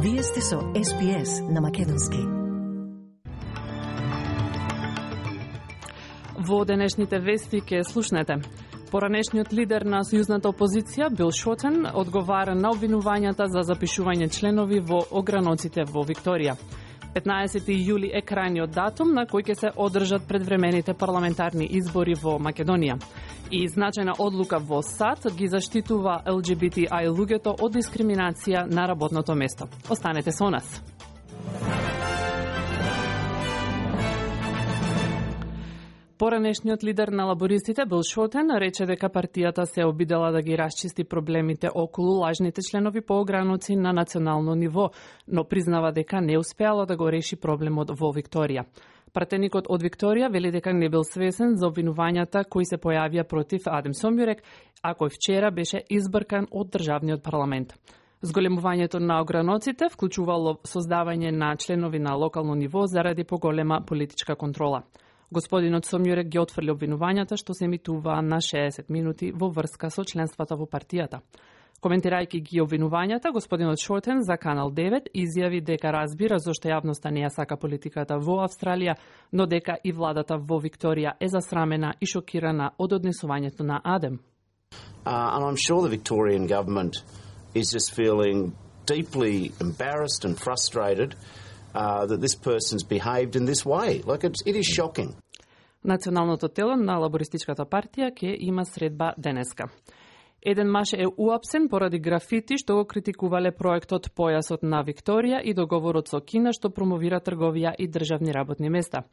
Вие сте со SPS на македонски. Во денешните вести ке слушнете. Поранешниот лидер на сојузната опозиција, Бил Шотен, одговара на обвинувањата за запишување членови во ограноците во Викторија. 15 јули е крајниот датум на кој ќе се одржат предвремените парламентарни избори во Македонија. И значајна одлука во САД ги заштитува LGBTI луѓето од дискриминација на работното место. Останете со нас. Поранешниот лидер на лабористите, Бил Шотен, рече дека партијата се обидела да ги расчисти проблемите околу лажните членови по ограноци на национално ниво, но признава дека не успеало да го реши проблемот во Викторија. Пратеникот од Викторија вели дека не бил свесен за обвинувањата кои се појавија против Адем Сомјурек, а кој вчера беше избркан од државниот парламент. Зголемувањето на ограноците вклучувало создавање на членови на локално ниво заради поголема политичка контрола. Господинот Сомјурек ги отфрли обвинувањата што се емитуваа на 60 минути во врска со членството во партијата. Коментирајќи ги обвинувањата, господинот Шотен за Канал 9 изјави дека разбира зошто јавноста не ја сака политиката во Австралија, но дека и владата во Викторија е засрамена и шокирана од однесувањето на Адем. And I'm sure the Victorian government is just feeling deeply embarrassed and frustrated that this person's behaved in this way. Like it is shocking. Националното тело на лабористичката партија ќе има средба денеска. Еден маж е уапсен поради графити што го критикувале проектот Појасот на Викторија и договорот со Кина што промовира трговија и државни работни места.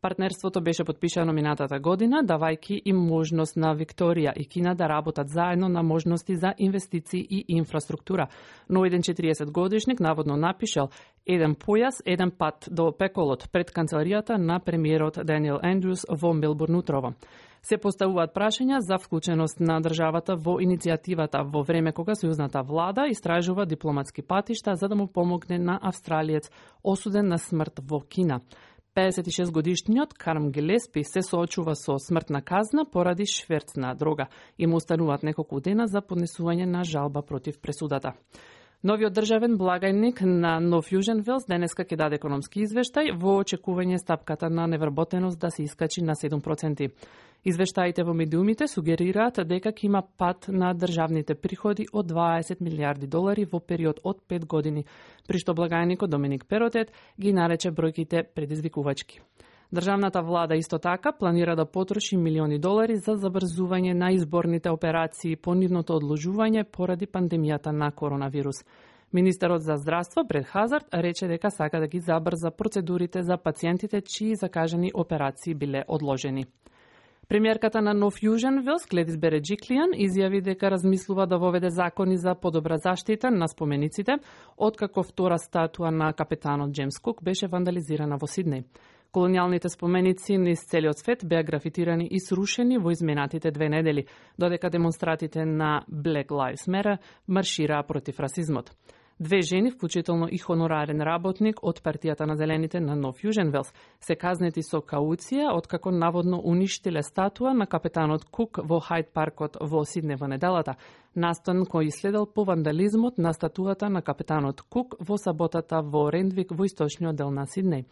Партнерството беше подпишано минатата година, давајќи им можност на Викторија и Кина да работат заедно на можности за инвестиции и инфраструктура. Но еден 40-годишник наводно напишал еден појас, еден пат до пеколот пред канцеларијата на премиерот Даниел Ендрюс во Мелбурн утрово. Се поставуваат прашања за вклученост на државата во иницијативата во време кога сојузната влада истражува дипломатски патишта за да му помогне на австралиец осуден на смрт во Кина. 56-годишниот Карм Гелеспи се соочува со смртна казна поради шверц на дрога и му остануваат неколку дена за поднесување на жалба против пресудата. Новиот државен благајник на Нов Јужен Велс денеска ќе даде економски извештај во очекување стапката на невработеност да се искачи на 7%. Извештаите во медиумите сугерираат дека ќе има пад на државните приходи од 20 милиарди долари во период од 5 години, при што благајникот Доминик Перотет ги нарече бројките предизвикувачки. Државната влада исто така планира да потроши милиони долари за забрзување на изборните операции по нивното одложување поради пандемијата на коронавирус. Министерот за здравство Бред Хазард рече дека сака да ги забрза процедурите за пациентите чии закажани операции биле одложени. Премиерката на Нов Јужен Велс, Гледис Береджиклијан, изјави дека размислува да воведе закони за подобра заштита на спомениците, откако втора статуа на капетанот Джеймс Кук беше вандализирана во Сиднеј. Колонијалните споменици низ целиот свет беа графитирани и срушени во изминатите 2 недели, додека демонстратите на Black Lives Matter маршираа против расизмот. 2 жени, вклучително и хонорарен работник од партијата на Зелените на Нов Јужен Велс, се казнети со кауција откако наводно уништиле статуа на капетанот Кук во Хајд паркот во Сиднеј во неделата, настан кој следел по вандализмот на статуата на капетанот Кук во саботата во Рендвик во источниот дел на Сиднеј.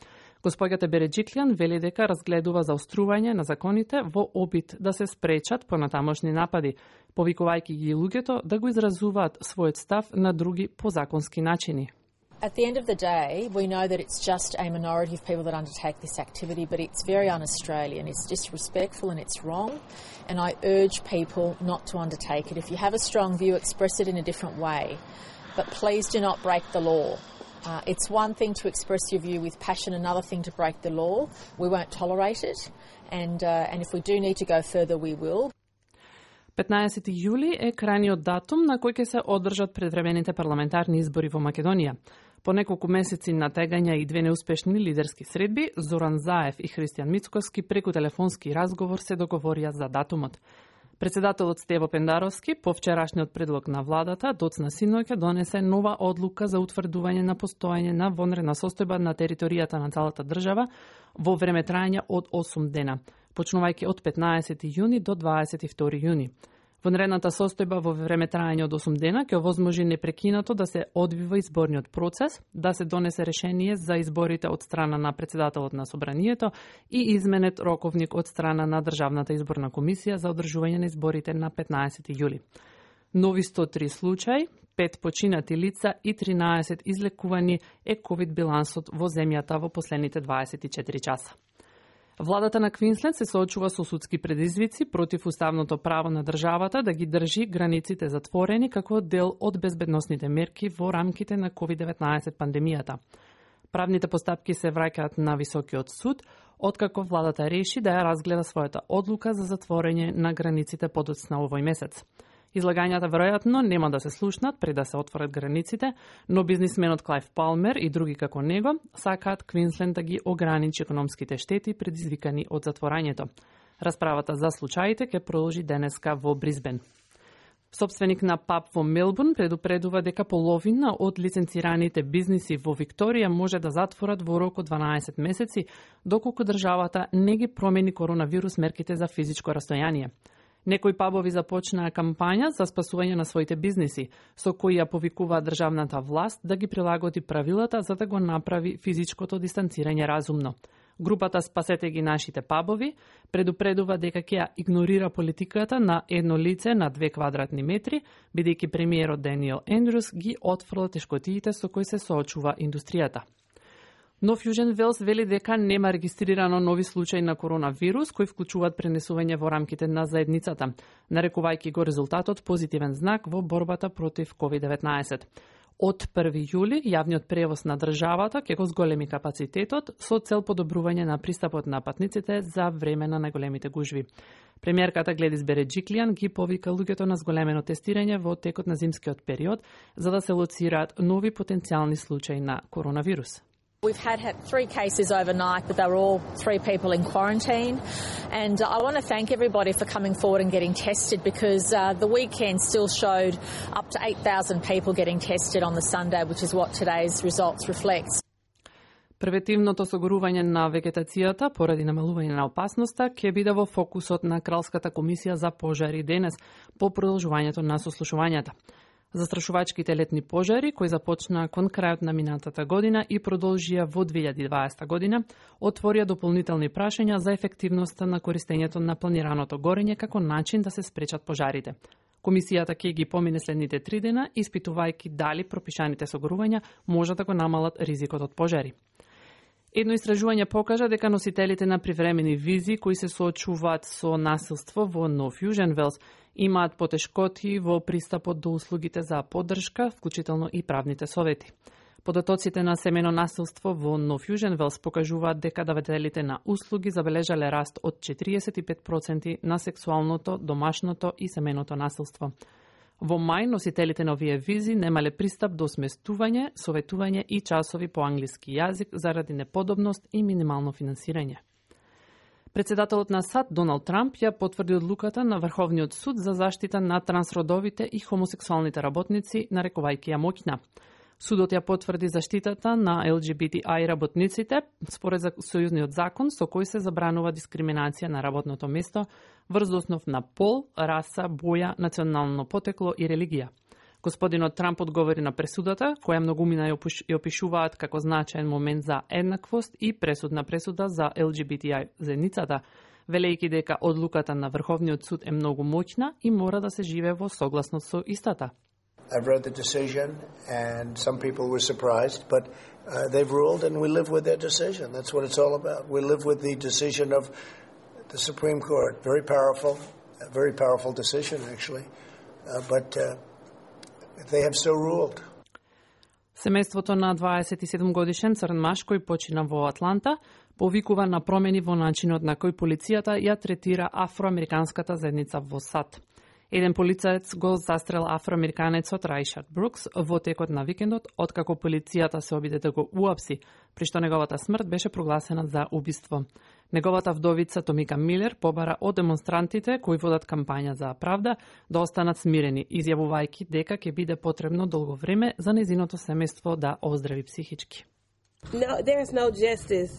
Господјата Береджиклијан вели дека разгледува заострување на законите во обид да се спречат понатамошни напади, повикувајќи ги луѓето да го изразуваат својот став на други позаконски начини. At the end of the day, we know that it's just a minority of people that undertake this activity, but it's very un-Australian. It's disrespectful and it's wrong, and I urge people not to undertake it. If you have a strong view, express it in a different way, but please do not break the law. It's one thing to express your view with passion, another thing to break the law. We won't tolerate it, and if we do need to go further, we will. 15 јули е крајниот датум на кој ќе се одржат предвремените парламентарни избори во Македонија. По неколку месеци натегања и 2 неуспешни лидерски средби, Зоран Заев и Христијан Мицковски преку телефонски разговор се договорија за датумот. Председателот Стево Пендаровски по вчерашниот предлог на владата доцна синоќа донесе нова одлука за утврдување на постојање на вонредна состојба на територијата на целата држава во време трајање од 8 дена, почнувајќи од 15 јуни до 22 јуни. Вонредната состојба во време трајање од 8 дена ќе овозможи непрекинато да се одвива изборниот процес, да се донесе решение за изборите од страна на председателот на собранието и изменет роковник од страна на Државната изборна комисија за одржување на изборите на 15 јули. Нови 103 случаи, 5 починати лица и 13 излекувани е ковид билансот во земјата во последните 24 часа. Владата на Квинсленд се соочува со судски предизвици против уставното право на државата да ги држи границите затворени како дел од безбедносните мерки во рамките на COVID-19 пандемијата. Правните постапки се враќаат на Високиот суд, откако владата реши да ја разгледа својата одлука за затворење на границите подоцна овој месец. Излагањата веројатно нема да се слушнат пред да се отворат границите, но бизнисменот Клајв Палмер и други како него сакаат Квинсленд да ги ограничи економските штети предизвикани од затворањето. Расправата за случаите ќе продолжи денеска во Брисбен. Собственик на паб во Мелбурн предупредува дека половина од лиценцираните бизниси во Викторија може да затворат во рок од 12 месеци, доколку државата не ги промени коронавирус мерките за физичко растојание. Некои пабови започнаа кампања за спасување на своите бизниси, со кои ја повикуваат државната власт да ги прилагоди правилата за да го направи физичкото дистанцирање разумно. Групата Спасете ги нашите пабови предупредува дека ќе ја игнорира политиката на едно лице на 2 квадратни метри, бидејќи премиерот Даниел Ендрюс ги отфрла тешкотиите со кои се соочува индустријата. Нов Јужен Велс вели дека нема регистрирано нови случаи на коронавирус кои вклучуваат пренесување во рамките на заедницата, нарекувајќи го резултатот позитивен знак во борбата против COVID-19. Од 1 јули јавниот превоз на државата ќе го зголеми капацитетот со цел подобрување на пристапот на патниците за време на најголемите гужви. Премиерката Гледис Береджиклијан ги повика луѓето на зголемено тестирање во текот на зимскиот период за да се лоцираат нови потенцијални случаи на коронавирус. We've had 3 cases overnight, but they were all 3 people in quarantine. And I want to thank everybody for coming forward and getting tested because the weekend still showed up to 8,000 people getting tested on the Sunday, which is what today's results reflects. Превентивното согорување на вегетацијата поради намалување на опасноста ќе биде во фокусот на Кралската комисија за пожари денес по продолжувањето на сослушувањата. Застрашувачките летни пожари, кои започнаа кон крајот на минатата година и продолжија во 2020 година, отворија дополнителни прашања за ефективноста на користењето на планираното горење како начин да се спречат пожарите. Комисијата ќе ги помине следните 3 дена, испитувајќи дали пропишаните согорувања може да го намалат ризикот од пожари. Едно истражување покажа дека носителите на привремени визи кои се соочуваат со насилство во Нов Јужен Велс имаат потешкоти во пристапот до услугите за поддршка, вклучително и правните совети. Податоците на семено насилство во Нов Јужен Велс покажуваат дека давателите на услуги забележале раст од 45% на сексуалното, домашното и семеното насилство. Во мај носителите на овие визи немале пристап до сместување, советување и часови по англиски јазик заради неподобност и минимално финансирање. Председателот на САД Доналд Трамп ја потврди одлуката на Врховниот суд за заштита на трансродовите и хомосексуалните работници, нарекувајќи ја моќна. Судот ја потврди заштитата на LGBTI работниците според сојузниот закон со кој се забранува дискриминација на работното место врз основ на пол, раса, боја, национално потекло и религија. Господинот Трамп одговори на пресудата, која многумина ја опишуваат како значаен момент за еднаквост и пресудна пресуда за LGBTI заедницата, велејќи дека одлуката на Врховниот суд е многу моќна и мора да се живее во согласност со истата. I've read the decision, and some people were surprised, but they've ruled, and we live with their decision. That's what it's all about. We live with the decision of the Supreme Court. A very powerful decision, actually. But they have so ruled. Семејството на 27-годишен црн маж кој почина во Атланта повикува на промени во начинот на кој полицијата ја третира афроамериканската заедница во САД. Еден полицаец го застрел афроамериканецот Рајшард Брукс во текот на викендот, откако полицијата се обиде да го уапси, при што неговата смрт беше прогласена за убиство. Неговата вдовица Томика Милер побара од демонстрантите кои водат кампања за правда да останат смирени, изјавувајќи дека ќе биде потребно долго време за нејзиното семејство да оздрави психички. No, there's no justice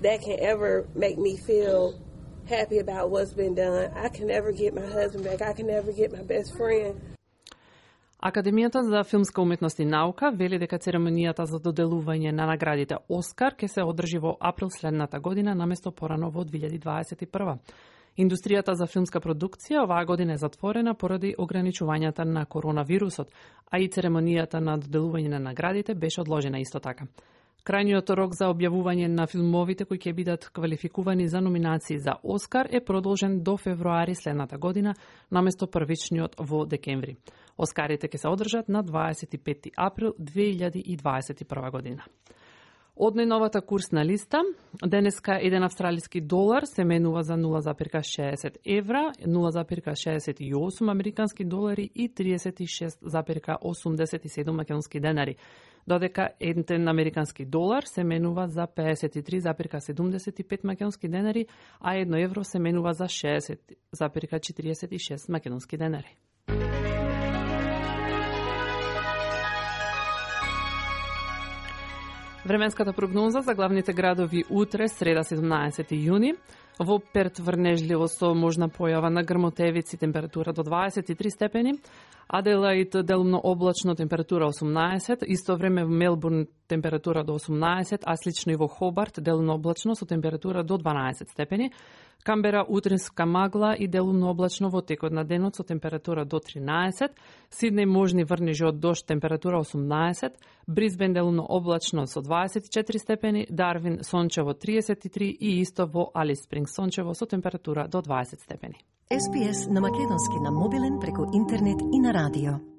that can ever make me feel happy about what's been done. I can never get my husband back. I can never get my best friend. Академијата за филмска уметност и наука вели дека церемонијата за доделување на наградите Оскар ќе се одржи во април следната година наместо порано во 2021. Индустријата за филмска продукција оваа година е затворена поради ограничувањата на коронавирусот, а и церемонијата на доделување на наградите беше одложена исто така. Крајниот рок за објавување на филмовите кои ќе бидат квалификувани за номинации за Оскар е продолжен до февруари следната година, наместо првичниот во декември. Оскарите ќе се одржат на 25 април 2021 година. Од најновата курсна листа, денеска еден австралиски долар се менува за 0,60 евра, 0,68 американски долари и 36,87 македонски денари, додека еден американски долар се менува за 53,75 македонски денари, а 1 евро се менува за 60,46 македонски денари. Временската прогноза за главните градови утре, среда 17 јуни. Во Перт врнежливо со можна појава на грмотевици, температура до 23 степени. Аделаид делумно облачно, температура 18. Исто време во Мелбурн температура до 18, а слично и во Хобарт делумно облачно со температура до 12 степени. Камбера утринска магла и делумно облачно во текот на денот со температура до 13. Сиднеј можни врнежи од дожд, температура 18. Брисбен делумно облачно со 24 степени. Дарвин сончево 33 и исто во Алис Спрингс сончево со температура до 20 степени. SPS на македонски на мобилен преку интернет и на радио.